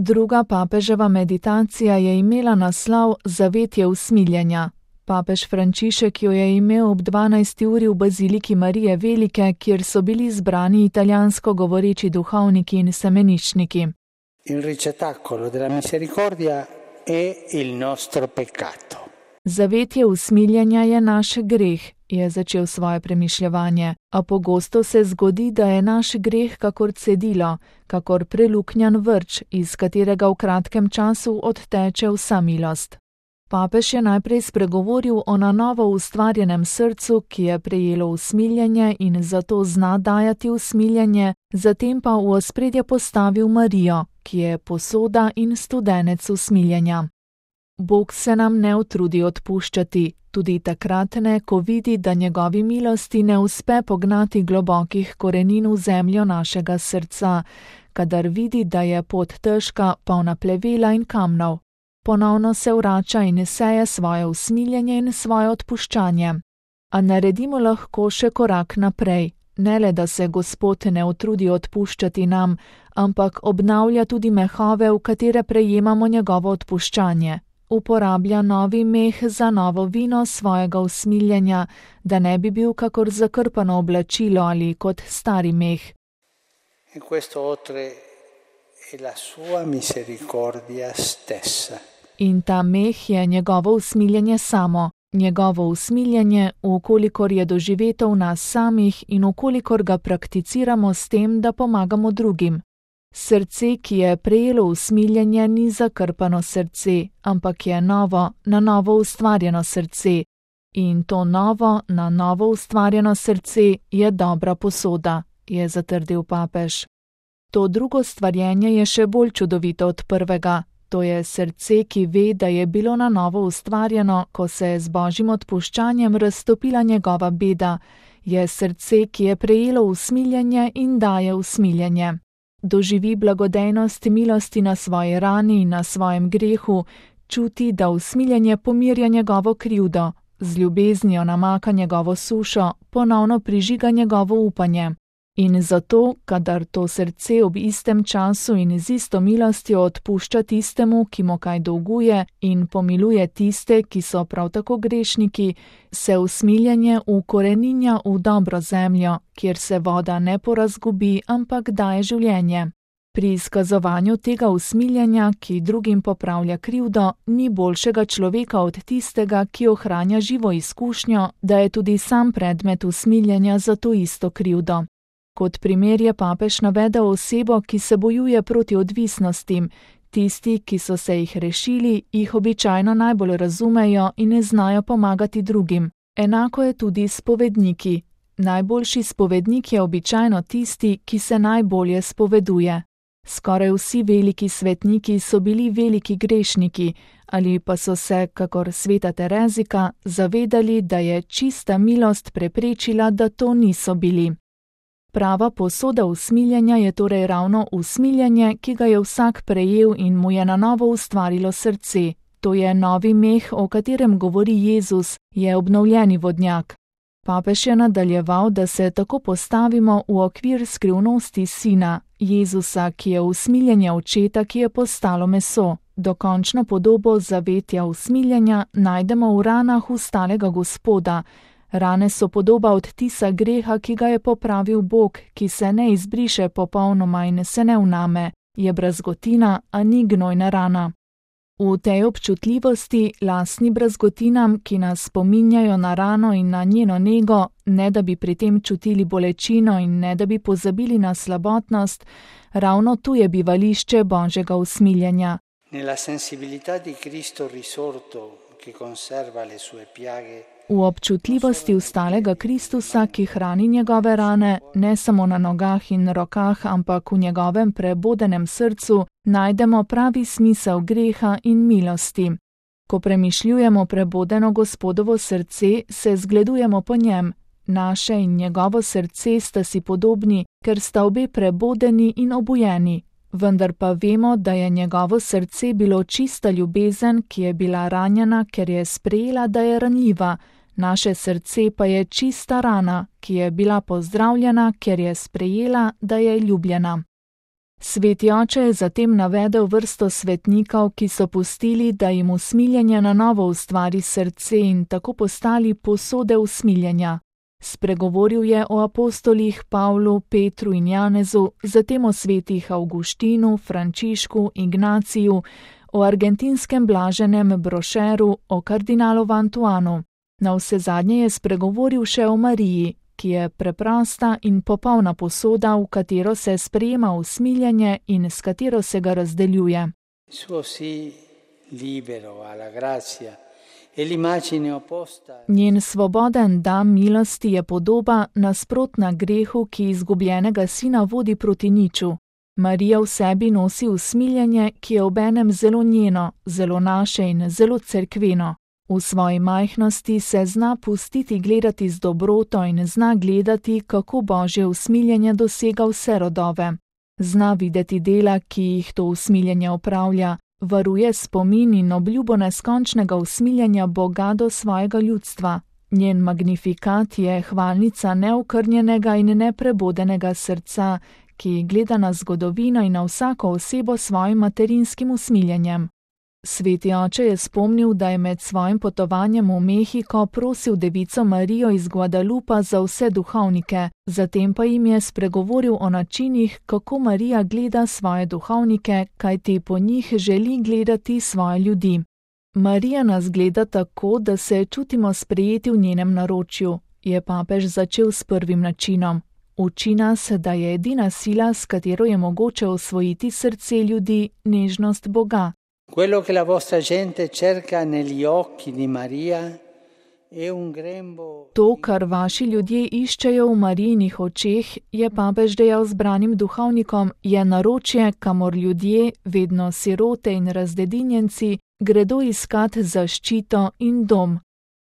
Druga papeževa meditacija je imela naslov Zavetje usmiljenja. Papež Frančišek jo je imel ob 12. uri v baziliki Marije Velike, kjer so bili zbrani italijansko govoreči duhovniki in semeničniki. Il ricettacolo della misericordia è il nostro peccato. Zavetje usmiljenja je naš greh, je začel svoje premišljevanje, a pogosto se zgodi, da je naš greh kakor cedilo, kakor preluknjan vrč, iz katerega v kratkem času odteče vsa milost. Papež je najprej spregovoril o na novo ustvarjenem srcu, ki je prejelo usmiljenje in zato zna dajati usmiljenje, zatem pa v ospredje postavil Marijo, ki je posoda in studenec usmiljenja. Bog se nam ne utrudi odpuščati, tudi takrat ne, ko vidi, da njegovi milosti ne uspe pognati globokih korenin v zemljo našega srca, kadar vidi, da je pot težka, polna plevela in kamnov. Ponovno se vrača in seje svoje usmiljenje in svoje odpuščanje. A naredimo lahko še korak naprej, ne le da se Gospod ne utrudi odpuščati nam, ampak obnavlja tudi mehove, v katere prejemamo njegovo odpuščanje. Uporablja novi meh za novo vino svojega usmiljenja, da ne bi bil kakor zakrpano oblačilo ali kot stari meh. E questo oltre è la sua misericordia stessa. In ta meh je njegovo usmiljenje samo, njegovo usmiljenje, ukolikor je doživeto v nas samih in ukolikor ga prakticiramo s tem, da pomagamo drugim. Srce, ki je prejelo usmiljenje, ni zakrpano srce, ampak je novo, na novo ustvarjeno srce. In to novo, na novo ustvarjeno srce je dobra posoda, je zatrdil papež. To drugo stvarjenje je še bolj čudovito od prvega. To je srce, ki ve, da je bilo na novo ustvarjeno, ko se je z Božjim odpuščanjem raztopila njegova beda. Je srce, ki je prejelo usmiljenje in daje usmiljenje. Doživi blagodejnost milosti na svoji rani in na svojem grehu, čuti, da usmiljenje pomirja njegovo krivdo, z ljubeznijo namaka njegovo sušo, ponovno prižiga njegovo upanje. In zato, kadar to srce ob istem času in z isto milostjo odpušča tistemu, ki mu kaj dolguje, in pomiluje tiste, ki so prav tako grešniki, se usmiljenje ukoreninja v dobro zemljo, kjer se voda ne porazgubi, ampak daje življenje. Pri izkazovanju tega usmiljenja, ki drugim popravlja krivdo, ni boljšega človeka od tistega, ki ohranja živo izkušnjo, da je tudi sam predmet usmiljenja za to isto krivdo. Kot primer je papež navedel osebo, ki se bojuje proti odvisnostim. Tisti, ki so se jih rešili, jih običajno najbolj razumejo in ne znajo pomagati drugim. Enako je tudi s spovedniki. Najboljši spovednik je običajno tisti, ki se najbolje spoveduje. Skoraj vsi veliki svetniki so bili veliki grešniki, ali pa so se, kakor sveta Terezika, zavedali, da je čista milost preprečila, da to niso bili. Prava posoda usmiljenja je torej ravno usmiljenje, ki ga je vsak prejel in mu je na novo ustvarilo srce. To je novi meh, o katerem govori Jezus, je obnovljeni vodnjak. Papež je nadaljeval, da se tako postavimo v okvir skrivnosti Sina, Jezusa, ki je usmiljenje očeta, ki je postalo meso. Dokončno podobo zavetja usmiljenja najdemo v ranah ustalega Gospoda. Rane so podoba odtisa greha, ki ga je popravil Bog, ki se ne izbriše popolnoma in se ne vname, je brazgotina, a ni gnojna rana. V tej občutljivosti, lastni brazgotinam, ki nas spominjajo na rano in na njeno nego, ne da bi pri tem čutili bolečino in ne da bi pozabili na slabotnost, ravno tu je bivališče Božjega usmiljenja. Nella sensibilità di Cristo risorto, che conserva le sue piaghe, v občutljivosti vstalega Kristusa, ki hrani njegove rane, ne samo na nogah in rokah, ampak v njegovem prebodenem srcu, najdemo pravi smisel greha in milosti. Ko premišljujemo prebodeno Gospodovo srce, se zgledujemo po njem. Naše in njegovo srce sta si podobni, ker sta obe prebodeni in obujeni. Vendar pa vemo, da je njegovo srce bilo čista ljubezen, ki je bila ranjena, ker je sprejela, da je ranljiva. Naše srce pa je čista rana, ki je bila pozdravljena, ker je sprejela, da je ljubljena. Sveti oče je zatem navedel vrsto svetnikov, ki so pustili, da jim usmiljenje na novo ustvari srce in tako postali posode usmiljenja. Spregovoril je o apostolih Pavlu, Petru in Janezu, zatem o svetih Avguštinu, Frančišku, Ignaciju, o argentinskem blaženem Brošeru, o kardinalu Antuanu. Navsezadnje je spregovoril še o Mariji, ki je preprosta in popolna posoda, v katero se sprejema usmiljenje in s katero se ga razdeljuje. Njen svoboden dar milosti je podoba nasprotna grehu, ki izgubljenega sina vodi proti niču. Marija v sebi nosi usmiljenje, ki je obenem zelo njeno, zelo naše in zelo cerkveno. V svoji majhnosti se zna pustiti gledati z dobroto in zna gledati, kako Božje usmiljenje dosega vse rodove. Zna videti dela, ki jih to usmiljenje opravlja, varuje spomin in obljubo neskončnega usmiljenja Boga do svojega ljudstva. Njen magnifikat je hvalnica neokrnjenega in neprebodenega srca, ki gleda na zgodovino in na vsako osebo s svojim materinskim usmiljenjem. Sveti oče je spomnil, da je med svojim potovanjem v Mehiko prosil devico Marijo iz Guadalupa za vse duhovnike, zatem pa jim je spregovoril o načinih, kako Marija gleda svoje duhovnike, kajti po njih želi gledati svoje ljudi. Marija nas gleda tako, da se čutimo sprejeti v njenem naročju, je papež začel s prvim načinom. Uči nas, da je edina sila, s katero je mogoče osvojiti srce ljudi, nežnost Boga. Quello che la vostra gente cerca negli occhi di Maria è un grembo. To, kar vaši ljudje iščejo v Marijinih očeh, je papež dejal zbranim duhovnikom, je naročje, kamor ljudje, vedno sirote in razdedinjenci, gredo iskat zaščito in dom.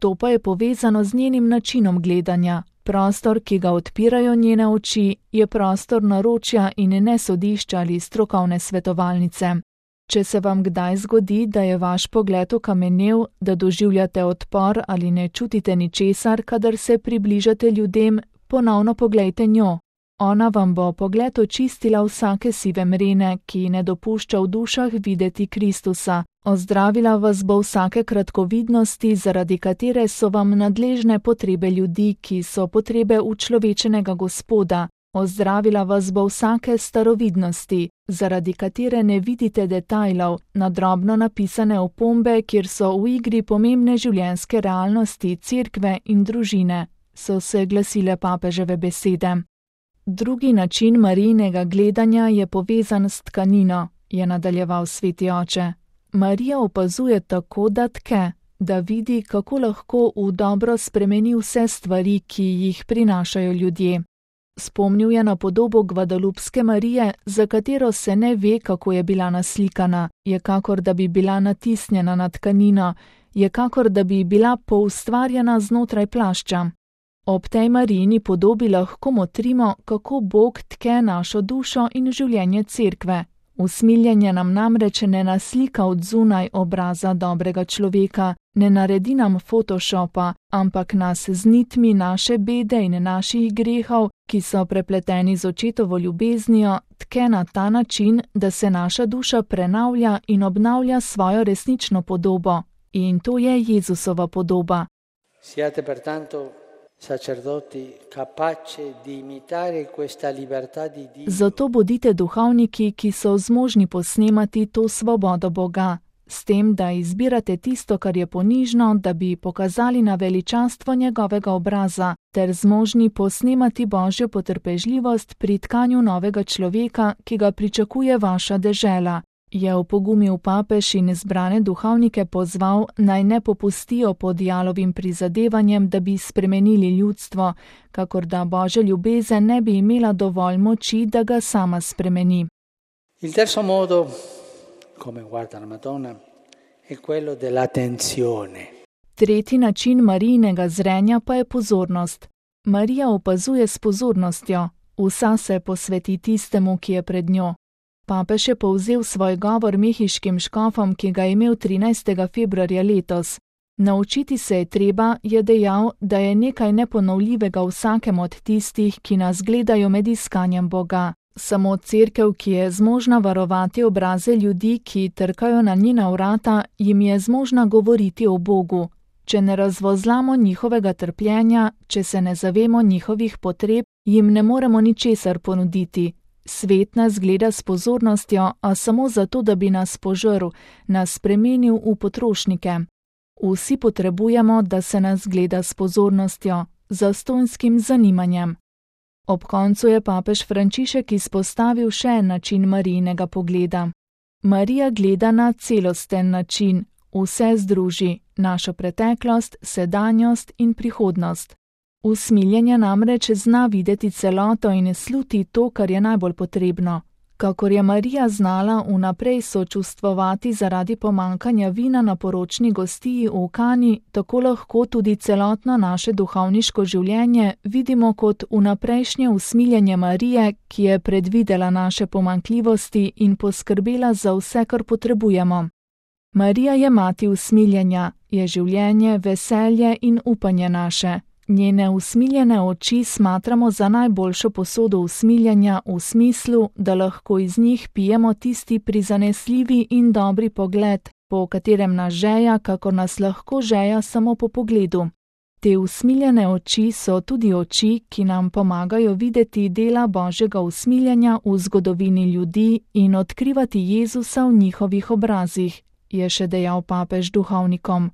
To pa je povezano z njenim načinom gledanja. Prostor, ki ga odpirajo njene oči, je prostor naročja in ne sodišča ali strokovne svetovalnice. Če se vam kdaj zgodi, da je vaš pogled okamenel, da doživljate odpor ali ne čutite ničesar, kadar se približate ljudem, ponovno poglejte njo. Ona vam bo pogled očistila vsake sive mrene, ki ne dopušča v dušah videti Kristusa. Ozdravila vas bo vsake kratkovidnosti, zaradi katere so vam nadležne potrebe ljudi, ki so potrebe učlovečenega Gospoda. Ozdravila vas bo vsake starovidnosti, zaradi katere ne vidite detajlov, na drobno napisane opombe, kjer so v igri pomembne življenjske realnosti, cerkve in družine, so se glasile papeževe besede. Drugi način Marijinega gledanja je povezan s tkanino, je nadaljeval sveti oče. Marija opazuje tako, da tke, da vidi, kako lahko v dobro spremeni vse stvari, ki jih prinašajo ljudje. Spomnil je na podobo Gvadalupske Marije, za katero se ne ve, kako je bila naslikana, je kakor da bi bila natisnjena na tkanino, je kakor da bi bila poustvarjena znotraj plašča. Ob tej Marijini podobi lahko motrimo, kako Bog tke našo dušo in življenje cerkve. Usmiljenje nam namreč ne naslika od zunaj obraza dobrega človeka, ne naredi nam photoshopa, ampak nas z nitmi naše bede in naših grehov, ki so prepleteni z očetovo ljubeznijo, tke na ta način, da se naša duša prenavlja in obnavlja svojo resnično podobo. In to je Jezusova podoba. Siate pertanto sacerdoti capaci di imitare questa libertà di Dio. Zato bodite duhovniki, ki so zmožni posnemati to svobodo Boga, s tem, da izbirate tisto, kar je ponižno, da bi pokazali na veličastvo njegovega obraza, ter zmožni posnemati Božjo potrpežljivost pri tkanju novega človeka, ki ga pričakuje vaša dežela. Je opogumil papež in zbrane duhovnike pozval, naj ne popustijo pod jalovim prizadevanjem, da bi spremenili ljudstvo, kakor da Božja ljubezen ne bi imela dovolj moči, da ga sama spremeni. Il terzo modo, come guarda la Madonna, è quello dell'attenzione. Tretji način Marijinega zrenja pa je pozornost. Marija opazuje s pozornostjo, vsa se posveti tistemu, ki je pred njo. Papež je povzel svoj govor mehiškim škofom, ki ga je imel 13. februarja letos. Naučiti se je treba, je dejal, da je nekaj neponovljivega vsakem od tistih, ki nas gledajo med iskanjem Boga. Samo cerkev, ki je zmožna varovati obraze ljudi, ki trkajo na njena vrata, jim je zmožna govoriti o Bogu. Če ne razvozlamo njihovega trpljenja, če se ne zavemo njihovih potreb, jim ne moremo ničesar ponuditi. Svet nas gleda s pozornostjo, a samo zato, da bi nas požrl, nas spremenil v potrošnike. Vsi potrebujemo, da se nas gleda s pozornostjo, zastonjskim zanimanjem. Ob koncu je papež Frančišek izpostavil še en način Marijinega pogleda. Marija gleda na celosten način, vse združi, našo preteklost, sedanjost in prihodnost. Usmiljenje namreč zna videti celoto in sluti to, kar je najbolj potrebno. Kakor je Marija znala vnaprej sočustvovati zaradi pomanjkanja vina na poročni gostiji v Kani, tako lahko tudi celotno naše duhovniško življenje vidimo kot vnaprejšnje usmiljenje Marije, ki je predvidela naše pomanjkljivosti in poskrbela za vse, kar potrebujemo. Marija je mati usmiljenja, je življenje, veselje in upanje naše. Njene usmiljene oči smatramo za najboljšo posodo usmiljenja v smislu, da lahko iz njih pijemo tisti prizanesljivi in dobri pogled, po katerem nas žeja, kakor nas lahko žeja samo po pogledu. Te usmiljene oči so tudi oči, ki nam pomagajo videti dela Božjega usmiljenja v zgodovini ljudi in odkrivati Jezusa v njihovih obrazih, je še dejal papež duhovnikom.